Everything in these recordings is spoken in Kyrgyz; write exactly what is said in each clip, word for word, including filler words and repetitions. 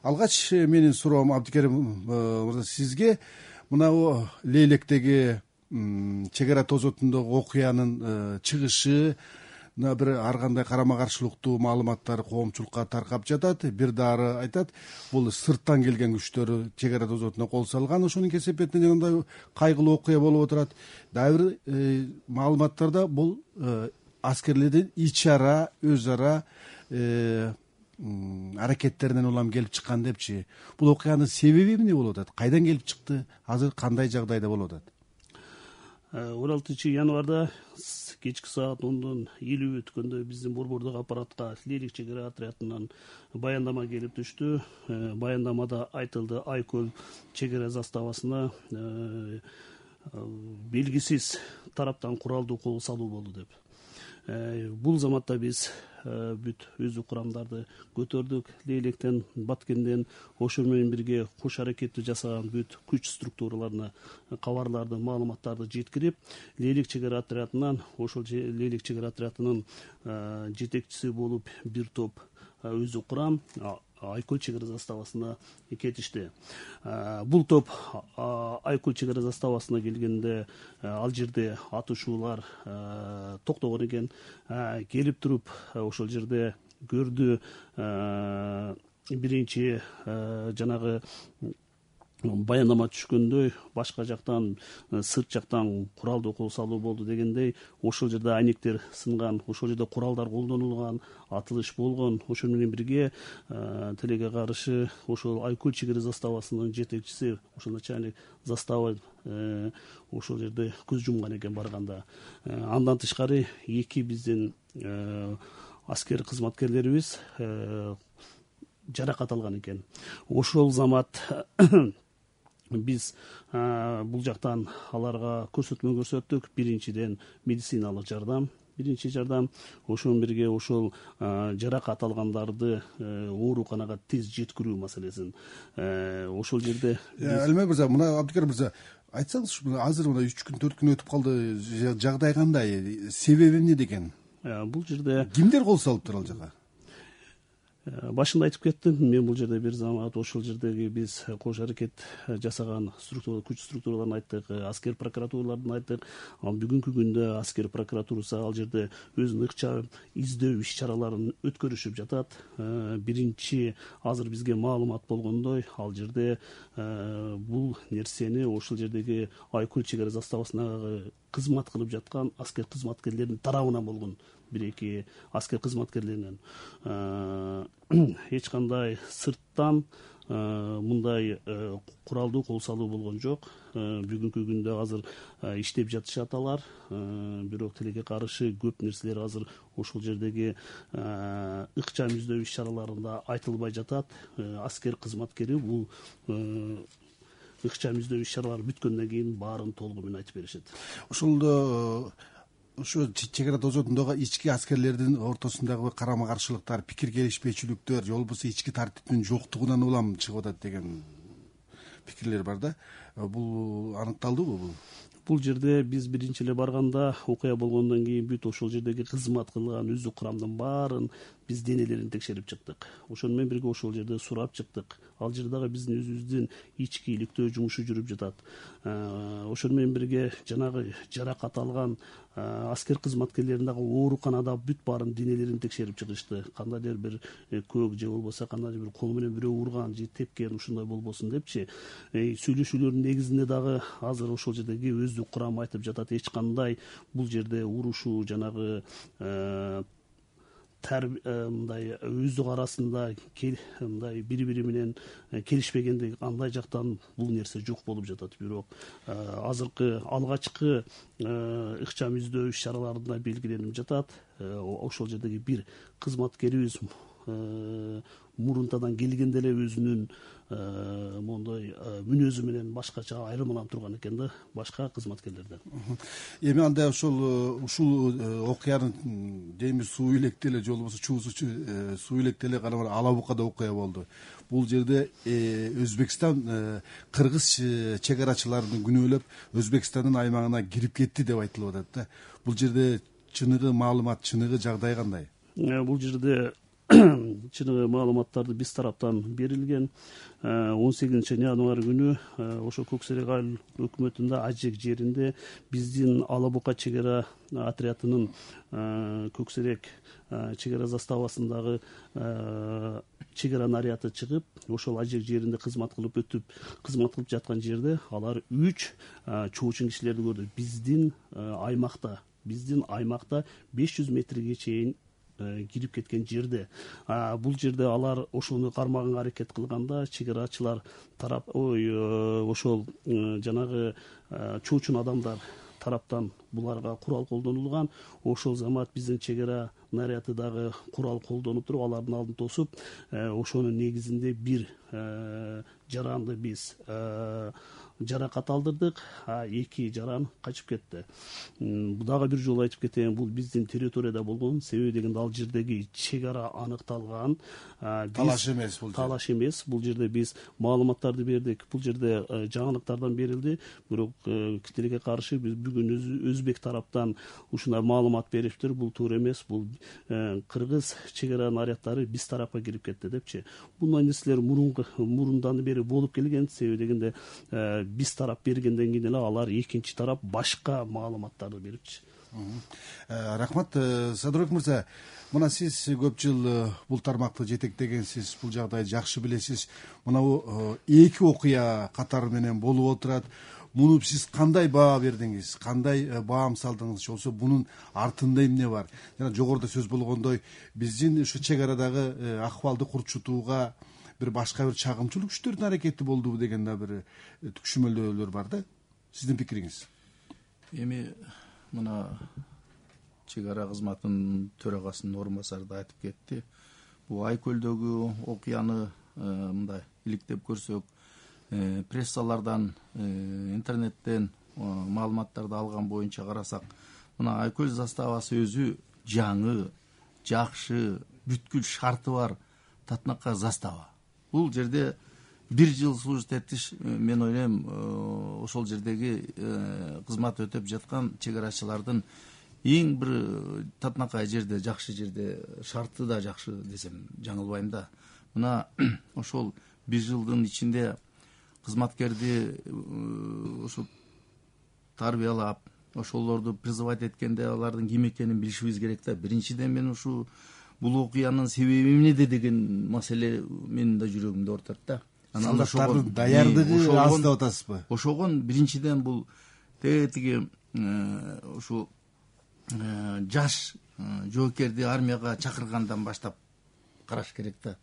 алгач менин суроом Абдикерим мырза сизге мынабу Лейлектеги чек ара тозотундогу окуянын чыгышы мына бир ар кандай карама каршылыктуу маалыматтар коомчулукка таркап жатат. Бир дары айтат, бул сырттан келген күчтөр чек ара тозотуна кол салган, ошонун кесепетинен жанагындай кайгылуу окуя болуп отурат. Дагы бир маалыматтарда бул аскерлердин ич ара өз ара аракеттеринен улам келип чыккан депчи. Бул окуянын себеби эмне болуп атат? Кайдан келип чыкты? Азыр кандай жагдайда болуп атат? он алтынчы январда кечки саат ондон элүү өткөндө биздин борбордук аппаратка Лейлек чек ара отрядынан баяндама келип түштү. Баяндамада айтылды, Айкөл чек ара заставасына белгисиз тараптан куралдуу кол салуу болду деп. Бул заматта биз бүт өздүк курамдарды көтөрдүк. Лейлектен, Баткенден ошол менен бирге кош аракетти жасаган бүт күч структураларына кабарларды, маалыматтарды жеткирип, Лейлек чек ара отрядынан, ошол Лейлек чек ара отрядынын жетекчиси болуп бир топ өздүк курам Айкөл чек ара заставасына кетишти. Бул топ Айкөл чек ара заставасына келгенде ал жерде атышуулар токтогон экен. Келип туруп ошол жерде көрдү, биринчи жанагы баяндама түшкөндөй башка жактан, сырт жактан куралдуу кол салуу болду дегендей, ошол жерде айнектер сынган, ошол жерде куралдар колдонулган, атылыш болгон. Ошол менен бирге тилекке каршы ошол Айкөл чек ара заставасынын жетекчиси, ошол начальник застава ошол жерде көз жумган экен барганда. Андан тышкары эки биздин аскер кызматкерлерибиз жаракат алган экен. Ошол замат биз бул жактан аларга көрсөтмө көрсөттүк. Биринчиден медициналык жардам, биринчи жардам, ошол менен бирге ошол жаракат алгандарды ооруканага тез жеткирүү маселесин. Ошол жерде Алимбек мырза, мына Абдикерим мырза, айтсаңызчы, азыр мына үч күн төрт күн өтүп калды, жагдай кандай, себеби эмне деген? Бул жерде кимдер кол салыптыр ал жака? Башында айтып кеттим, мен бул жерде бир замат ошол жердеги биз кош аракет жасаган структура, күч структураларын айттык, аскер прокуратураларын айттык. Бүгүнкү күндө аскер прокуратурасы ал жерде өзүнүн ыкчам издөө иш чараларын өткөрүшүп жатат. Биринчи азыр бизге маалымат болгондой, ал жерде бул нерсени ошол жердеги Айкөл чек ара заставасына кызмат кылып жаткан аскер кызматкерлердин тарабынан болгон, бир-эки аскер кызматкерлеринен. Эч кандай сырттан мындай куралдуу кол салуу болгон жок. Бүгүнкү күндө азыр иштеп жатышат алар. Бирок тилекке каршы көп нерселер азыр ошол жердеги ыкчам издөө иш чараларында айтылбай жатат. Аскер кызматкери бул ыкчам издөө иш чаралары бүткөндөн кийин баарын толугу менен айтып беришет. Ошолдо ушу чек ара тозотундагы ички аскерлердин ортосундагы карама каршылыктар, пикир келишпейчиликтер, же болбосо ички тартиптин жоктугунан улам чыгып атат деген пикирлер бар да. Бул аныкталдыбы бул? Бул жерде биз биринчи эле барганда, окуя болгондон кийин бүт ошол жердеги кызмат кылган өздүк курамдын баарын биз денелерин текшерип чыктык. Ошону менен бирге ошол жерде сурап чыктык. Ал жерде дагы биздин өзүбүздүн ички иликтөө жумушу жүрүп жатат. Ошону менен бирге жанагы жаракат алган аскер кызматкерлерин дагы ооруканада бүт баарын денелерин текшерип чыгышты. Кандайдыр бир көк же болбосо кандайдыр бир кол менен бирөө урган же тепкен, ушундай болбосун депчи. Сүйлөшүүлөрдүн негизинде дагы азыр ошол жердеги өздүк курам айтып жатат, эч кандай бул жерде урушуу, жанагы мындай өздүк арасында мындай бири-бири менен келишпегендик андай жактан бул нерсе жок болуп жатат. Бирок азыркы алгачкы ыкчам издөө иш чараларында белгиленип жатат. Ошол жердеги бир кызматкерибиз мурунтадан келгенде эле өзүнүн моундай мүнөзү менен башкача айырмаланып турган экен да башка кызматкерлерден. Эми анда ошол ушул окуянын деймиз суу илекте эле же болбосо чуусу суу илекте эле гана Ала Букада окуя болду. Бул жерде Өзбекстан, кыргыз чек арачыларын күнөөлөп Өзбекстандын аймагына кирип кетти деп айтылып атат да. Бул жерде чыныгы маалымат, чыныгы жагдай кандай? Бул жерде чыныгы маалыматтарды биз тараптан берилген. он сегизинчи январь күнү ошо Көк Серек айыл өкмөтүндө Ажек жеринде биздин Ала Бука чек ара отрядынын Көк Серек чек ара заставасындагы чек ара наряды чыгып, ошол Ажек жеринде кызмат кылып өтүп, кызмат кылып жаткан жерде алар үч чоочун кишилерди көрдү. Биздин аймакта, биздин аймакта беш жүз метрге чейин кирип кеткен жерде. Бул жерде алар ошону кармаганга аракет кылганда чек арачылар тарап ой ошол жанагы чоочун адамдар тараптан буларга курал колдонулган. Ошол замат биздин чек ара наряды дагы курал колдонуп туруп алардын алдын тосуп, ошонун негизинде бир жаранды биз жаракат алдырдык, эки жаран качып кетти. Дагы бир жолу айтып кетейин, бул биздин территорияда болгон, себеби дегенде ал жердеги чек ара аныкталган. Талаш эмес бул. Талаш эмес. Бул жерде биз маалыматтарды бердик. Бул жерде жаңылыктардан берилди. Бирок тилекке каршы биз бүгүн өзбек тараптан ушундай маалымат бериптир. Бул туура эмес. Бул кыргыз чек ара наряддары биз тарапка кирип кетти депчи. Бундай нерселер мурундан бери болуп келген. Себеби дегенде биз тарап бергенден кийин эле алар экинчи тарап башка маалыматтарды берипчи. Рахмат, Садырбек мырза. Мына сиз көп жыл бул тармакты жетектегенсиз, бул жагдайды жакшы билесиз. Мына эки окуя катары менен болуп отурат. Муну сиз кандай баа бердиңиз, кандай баам салдыңыз, же болбосо бунун артында эмне бар? Жана жогоруда сөз болгондой, биздин ушу чек арадагы акыбалды курчутууга бир башка бир чагымчылык күчтөрдүн аракети болдубу деген да бир түшүнмөлдөөлөр бар да. Сиздин пикириңиз? Эми мына чек ара кызматынын төрагасынын орун басары да айтып кетти. Бул Айкөлдөгү окуяны мындай иликтеп көрсөк, прессалардан, интернеттен маалыматтарды алган боюнча карасак, мына Айкөл заставасы өзү жаңы, жакшы, бүткүл шарты бар татынакка застава. Бул жерде бир жыл служить этиш, мен ойлойм, ошол жердеги кызмат өтөп жаткан чек арачылардын эң бир татынакай жерде, жакшы жерде, шарты да жакшы десем жаңылбайм да. Мына ошол бир жылдын ичинде кызматкерди ошо тарбиялап, ошолорду призывать эткенде алардын ким экенин билишибиз керек да. Биринчиден мен ушу бул окуянын себеби эмнеде деген маселе менин да жүрөгүмдө ортот да. Солдаттардын даярдыгы аз деп атасызбы? Ошогон биринчиден бул тиги ушу жаш жоокерди армияга чакыргандан баштап караш керек да.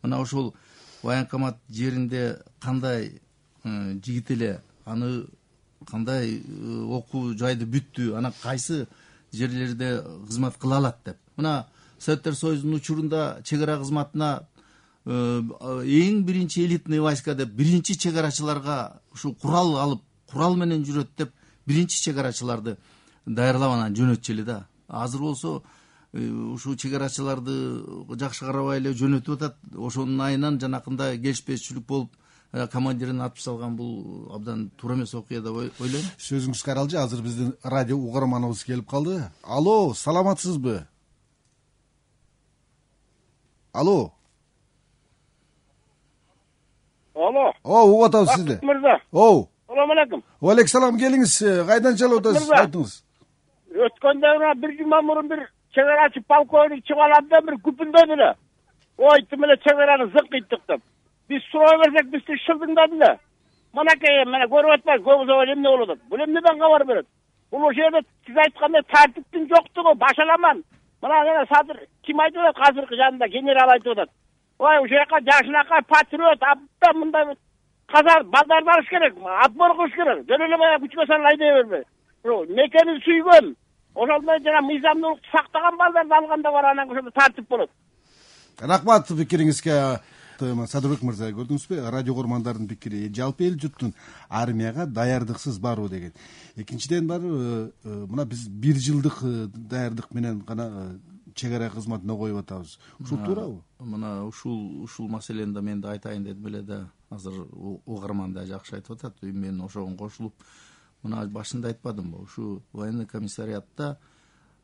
Мына ошол военкомат жеринде кандай жигит эле, аны кандай окуу жайды бүттү, ана кайсы жерлерде кызмат кыла алат деп. Мына Советтер Союзунун учурунда чек ара кызматына эң биринчи элитный войска деп биринчи чек арачыларга ушу курал алып, курал менен жүрөт деп биринчи чек арачыларды даярлап анан жөнөтчү эле да. Азыр болсо ушу чек арачыларды жакшы карабай эле жөнөтүп атат. Ошонун айынан жанакында келишпешчүлүк болуп командирин атып салган, бул абдан туура эмес окуя деп ойлойм. Сөзүңүз каралжы. Азыр биздин радио угарманыбыз келип калды. Алло, саламатсызбы? Алло. Алло. О, угуп атабыз сизди. Мырза. О. Салам алейкум. Алейкум салам, келиңиз. Кайдан чалып атасыз? Айтыңыз. Өткөндө бир жума мурун бир чек арачы полковник чыгып алат да бир күпүндөдү эле. Ой, тим эле чек араны зыкыйттык деп. Биз суроо берсек, бизди шылдыңдады эле. Манакей, мына көрүп атпайсыз, көбүзө эмне болуп атат? Бул эмнеден кабар берет? Бул ошол жерде сиз айткандай тартиптин жоктугу, башаламан. Мына жана Садыр ким айтып атат азыркы жанында, генерал айтып атат. Ой, ошол жака жашынакай патриот, абдан мындай казар балдар барыш керек, отбор кылыш керек. Жөн эле баягы күчкө салып айдай бербей. Мекени сүйгөн, ошондой жана мыйзамдуулукту сактаган балдарды алганда бар, анан ошондо тартип болот. Рахмат пикириңизге. Садырбек мырза, көрдүңүзбү? Радио көрмандардын пикири, жалпы эл журттун армияга даярдыксыз баруу деген. Экинчиден бар, мына биз бир жылдык даярдык менен гана чек ара кызматына коюп атабыз. Ушул туурабы? Мына ушул ушул маселени да мен да айтайын дедим эле да. Азыр угарман да жакшы айтып атат. Мен ошого кошулуп, мына башында айтпадымбы? Ушу военный комиссариатта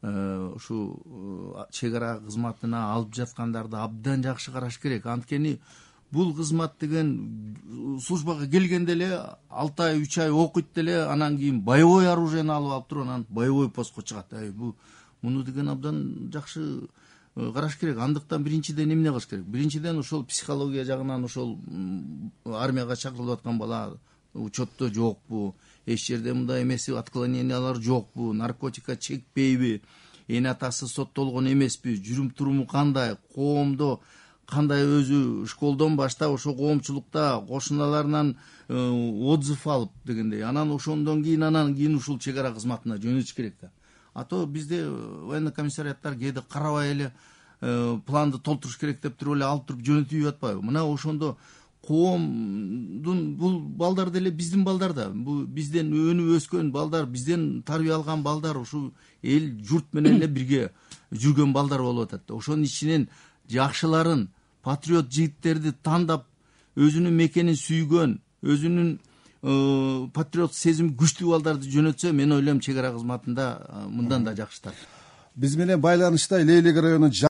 ушул чек ара кызматына алып жаткандарды абдан жакшы караш керек. Анткени бул кызмат деген службага келгенде эле алты ай үч ай окуйт деле анан кийин боевой оружиени алып алып туруп анан боевой постко чыгат. Бул муну деген абдан жакшы караш керек. Андыктан биринчиден эмне кылыш керек? Биринчиден ошол психология жагынан ошол армияга чакырылып аткан бала учетто жокпу, эч жерде мындай эмеси, отклонениялар жокпу, наркотикка чекпейби, эне атасы соттолгон эмеспи, жүрүм туруму кандай, коомдо кандай, өзү школдон баштап ошо коомчулукта кошуналарынан отзыв алып дегендей, анан ошондон кийин анан кийин ушул чек ара кызматына жөнөтүш керек да. А то бизде военный комиссариаттар кээде карабай эле планды толтуруш керек деп туруп эле алып туруп жөнөтүп атпайбы? Мына ошондо коомдун бул балдар деле биздин балдар да, бул бизден өнүп өскөн балдар, бизден тарбия алган балдар, ушул эл журт менен эле бирге жүргөн балдар болуп атат. Ошонун ичинен жакшыларын, патриот жигиттерди тандап, өзүнүн мекенин сүйгөн, өзүнүн патриот сезим күчтүү балдарды жөнөтсө, мен ойлойм чек ара кызматында мындан да жакшытар. Биз менен байланышта Лейлек районунун